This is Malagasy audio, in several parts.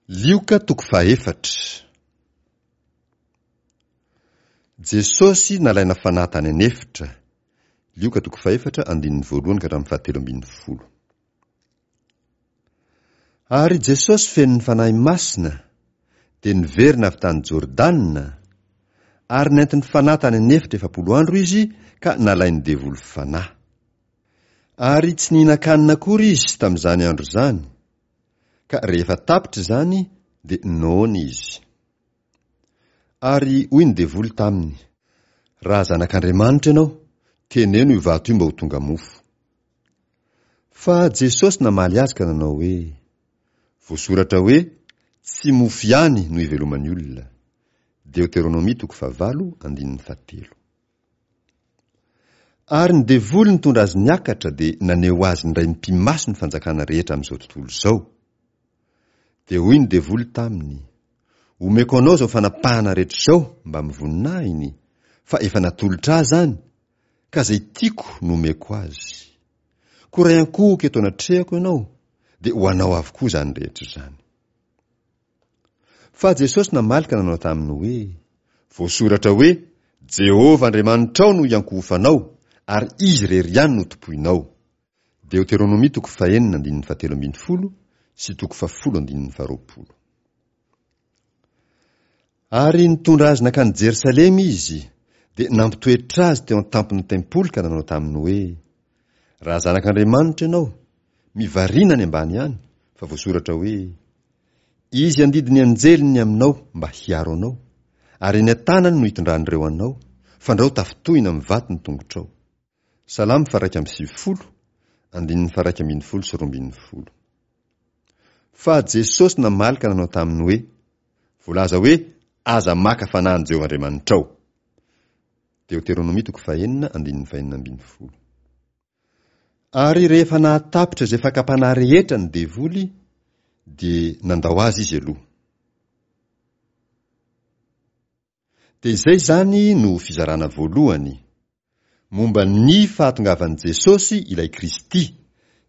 Lioka toko fahaefatra. Jesosy nalaina fanahy tany an'efitra. Lioka toko fahefatra andininy voalohany ka hatramin'ny fahatelo ambin'ny folo. Ary Jesosy feno ny Fanahy Masina dia niverina avy tany Jordana, ary nentin'ny Fanahy tany an'efitra 40 andro izy ka nalain'ny devoly fanahy. Ary tsy nihinan-kanina akory izy tamin'izany andro izany, ka rehefa tapitra izany dia noana izy. Ary hoy ny devoly taminy, Raha zanak'Andriamanitra ianao, teneno io vato io mba ho tonga mofo. Fa Jesosy namaly azy ka nanao hoe, Voasoratra hoe, Tsy mofo ihany no iveloman'ny olona. Deoteronomia toko fahavalo andininy fahatelo. Ary ny devoly nitondra azy niakatra dia naneho azy indray mipi-maso ny fanjakana rehetra amin'izao tontolo izao. Dia hoy ny devoly taminy, Omeko anao izao fanapahana rehetra izao mbamin'ny voninahiny, fa efa natolotra ahy izany, ka izay tiako no omeko azy. Koa raha hiankohoka eto anatrehako ianao, dia ho anao avokoa izany rehetra izany. Fa Jesosy namaly ka nanao taminy hoe, Voasoratra hoe, 'Jehovah Andriamanitrao no iankohofanao, ary Izy irery ihany no tompoinao. Deoteronomia toko fahenina andininy fahatelo ambin'ny folo sy toko fahafolo andininy faharoapolo. Ary nitondra azy nankany Jerosalema izy, dia nampitoetra azy teo an-tampon'ny tempoly ka nanao taminy hoe, Raha zanak'Andriamanitra ianao, mivarina any ambany any, fa voasoratra hoe, Izy handidy ny anjeliny ny aminao mba hiaro anao, ary eny an-tanany no hitondran'ireo anao, fandrao tafintohina amin'ny vato ny tongotrao. Salamo faha-91, andininy faha-11 sy 12. Fa Jesosy namaly ka nanao taminy hoe, Voalaza hoe, Aza maka fanahy an'i Jehovah Andriamanitrao. Deoteronomia toko fahenina, andininy fahenina ambin'ny folo. Ary rehefa nahatapitra izay fakam-panahy rehetra ny devoly, dia nandao azy izy aloha. Dia izay izany no fizarana voalohany, momba ny fahatongavan'i Jesosy ilay Kristy,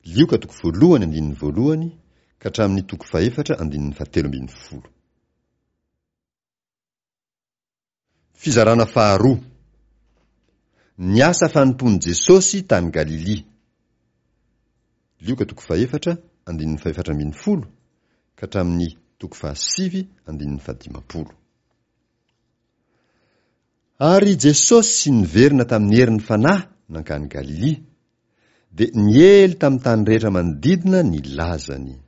Lioka toko voalohany andininy voalohany ka hatramin'ny toko fahefatra andininy fahatelo ambin'ny folo. Fizarana faharoa. Ny asa fanompoan'i Jesosy tany Galilia. Lioka toko fahefatra, andininy fahefatra ambin'ny folo ka hatramin'ny toko fahasivy, andininy fahadimampolo. Ary Jesosy niverina tamin'ny herin'ny Fanahy nankany Galilia, dia niely tamin'ny tany rehetra manodidina ny lazany.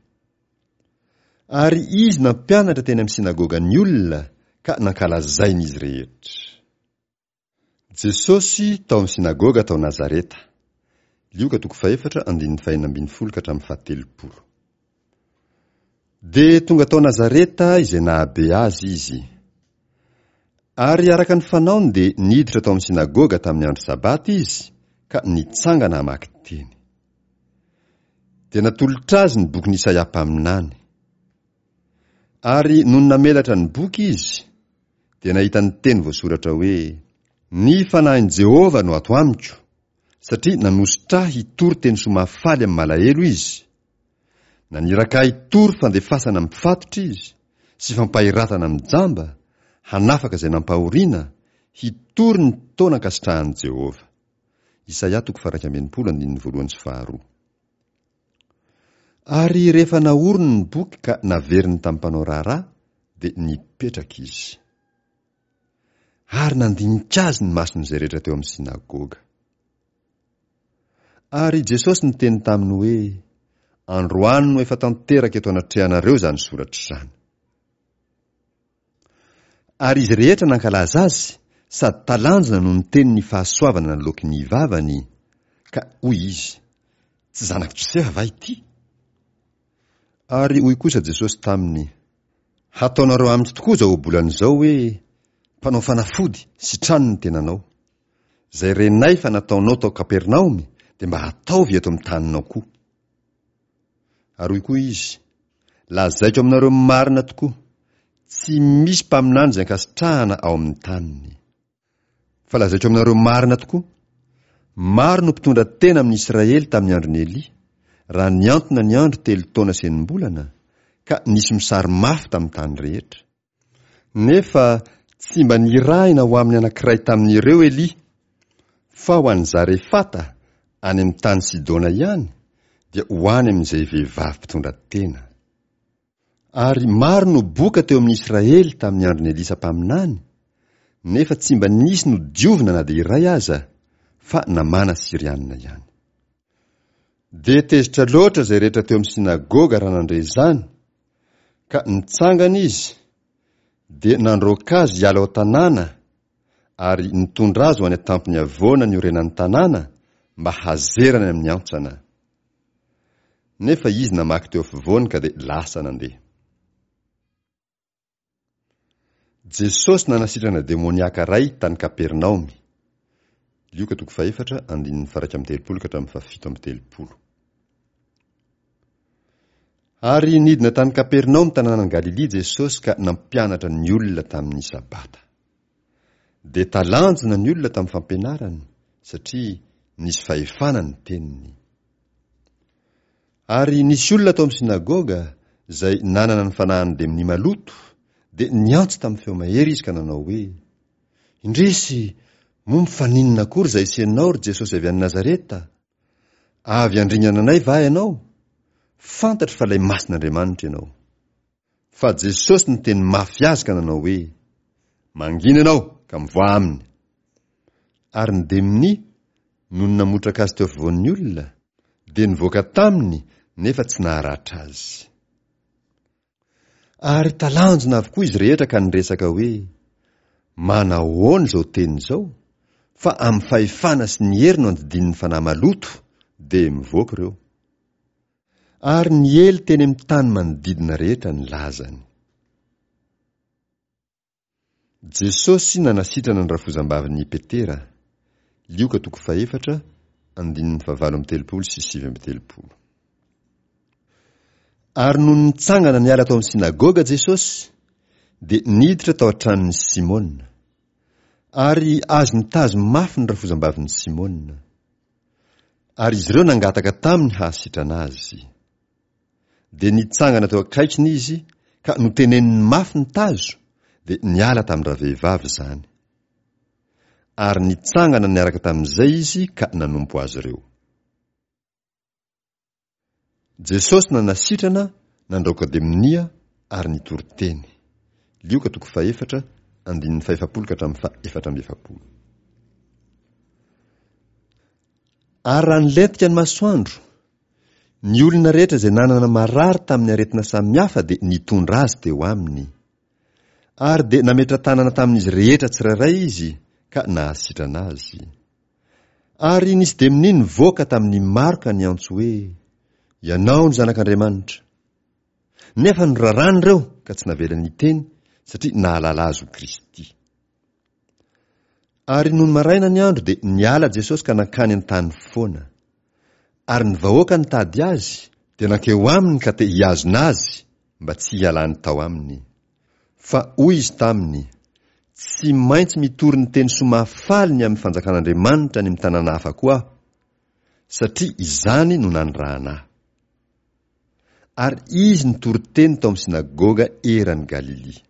Ary izy nampianatra teny amin'ny synagogan'ny olona ka nankalazain'izy izy rehetra. Jesosy tao amin'ny synagoga tao Nazareta. Lioka toko fahefatra andininy fahenina ambin'ny folo ka hatramin'ny fahatelopolo. Dia tonga tao Nazareta izay nahabe azy izy. Ary araka ny fanaony dia niditra tao amin'ny synagoga tamin'ny andro sabata izy ka nitsangana hamaky teny. Dia natolotra azy ny bokin'i Isaia mpaminany. Ary nony namelatra ny boky izy, dia nahita ny teny voasoratra hoe, Ny fanahin'i Jehovah no ato amiko, satria nanosotra ahy hitory teny soa mahafaly amin'ny malahelo izy. Naniraka ahy hitory fandefasana amin'ny mpifatotra izy, sy fampahiratana amin'ny jamba, hanafaka izay nampahoriana, hitory ny taona ankasitrahan'i Jehovah. Isaia toko faha-61 andininy voalohany sy faharoa. Ary rehefa nahorony ny boky ka naveriny tamin'ny mpanao raharaha, dia nipetraka izy. Ary nandinika azy ny mason'izay rehetra teo amin'ny synagoga. Ary Jesosy niteny taminy hoe, Androany no efa tanteraka eto anatrehanareo izany soratra izany. Ary izy rehetra nankalaza azy sady talanjona no niteny ny fahasoavana naloaky ny vavany, ka hoy izy, Tsy zanak'i Josefa va ity? Ary hoy kosa Jesosy taminy, Hataonareo amiko tokoa izao ohabolana izao hoe, Mpanao fanafody, sitrano ny tenanao. Izay renay fa nataonao tao Kapernaomy dia mba ataovy eto amin'ny taninao koa. Ary hoy koa izy, Lazaiko aminareo marina tokoa, tsy misy mpaminany izay ankasitrahana ao amin'ny taniny. Fa lazaiko aminareo marina tokoa, maro no mpitondra tena amin'i Israely tamin'ny andron'i Elia, raha nihantona ny andro telo taona sy enim-bolana, ka nisy mosary mafy tamin'ny tany rehetra. Nefa tsy mba nirahina ho amin'ny anankiray tamin'ireo Elia, fa ho any Zarefata, any amin'ny tany Sidona ihany, dia ho any amin'izay vehivavy mpitondra tena. Ary maro no boka teo amin'ny Israely tamin'ny andron'i Elisa mpaminany, nefa tsy mba nisy nodiovina na dia iray aza, fa Namàna Syrianina ihany. Dia tezitra loatra izay rehetra teo amin'ny synagoga raha nandre izany, ka nitsangana izy, dia nandroaka azy hiala ao an-tanàna, ary nitondra azy ho any an-tampon'ny havoana niorenan'ny tanàna, mba hazerany amin'ny antsana. Nefa izy namaky teo afovoany ka dia lasa nandeha. Jesosy nanasitrana demoniaka iray tany Kapernaomy. Lioka toko fahefatra, andininy faha-31 ka hatramin'ny faha-37. Ary nidina tany Kapernaomy tanànan'i Galilia Jesosy ka nampianatra ny olona tamin'ny Sabata. Dia talanjona ny olona tamin'ny fampianarany, satria nisy fahefana ny teniny. Ary nisy olona tao amin'ny synagoga izay nanana ny fanahin'ny demonia maloto, dia niantso tamin'ny feo mahery izy ka nanao hoe, Indrisy, moa mifaninona akory izahay sy ianao, ry Jesosy avy any Nazareta? Avy handringana anay va ianao? Fantatro fa ilay Masin'Andriamanitra ianao. Fa Jesosy niteny mafy azy ka nanao hoe, Mangina ianao ka mivoaha aminy. Ary ny demonia, nony namotraka azy teo afovoan'ny olona, dia nivoaka taminy nefa tsy naharatra azy. Ary talanjona avokoa izy rehetra ka niresaka hoe, Manahoana izao teny izao, fa amin'ny fahefana sy ny hery no andidian'ny fanahy maloto, dia mivoaka ireo. Ary niely teny amin'ny tany manodidina rehetra ny lazany. Jesosy nanasitrana ny rafozambavin'i Petera, Lioka toko fahefatra, andininy fahavalo amby telopolo sy 39. Ary nony nitsangana niala tao amin'ny synagoga Jesosy, dia niditra tao an-tranon'i Simona. Ary azony tazo mafy ny rafozambavin'i Simona. Ary izy ireo nangataka taminy hahasitrana azy. Dia nitsangana teo akaikiny izy ka noteneniny mafy ny tazo, dia niala tamin-dravehivavy izany. Ary nitsangana niaraka tamin'izay izy ka nanompo azy ireo. Jesosy nanasitrana, nandraoka demonia ary nitory teny. Lioka toko fahefatra, andininy fahefapolo ka hatramin'ny fahefatra amby efapolo. Ary raha nilentika ny masoandro, ny olona rehetra izay nanana marary tamin'ny aretina samihafa dia nitondra azy teo aminy. Ary dia nametra-tanana tamin'izy rehetra tsirairay izy ka nahasitrana azy. Ary nisy demonia nivoaka tamin'ny maro ka niantso hoe, Ianao no Zanak'Andriamanitra. Nefa norarany ireo ka tsy navelany hiteny, satria nahalala azy ho Kristy. Ary nony maraina ny andro dia niala Jesosy ka nankany an-tany foana. Ary ny vahoaka nitady azy dia nankeo aminy ka te hihazona azy mba tsy hialany tao aminy. Fa hoy izy taminy, Tsy maintsy mitory ny teny soa mahafaly ny amin'ny fanjakan'Andriamanitra any amin'ny tanàna hafa koa aho, satria izany no nanirahana ahy. Ary izy nitory teny tao amin'ny synagoga eran'i Galilia.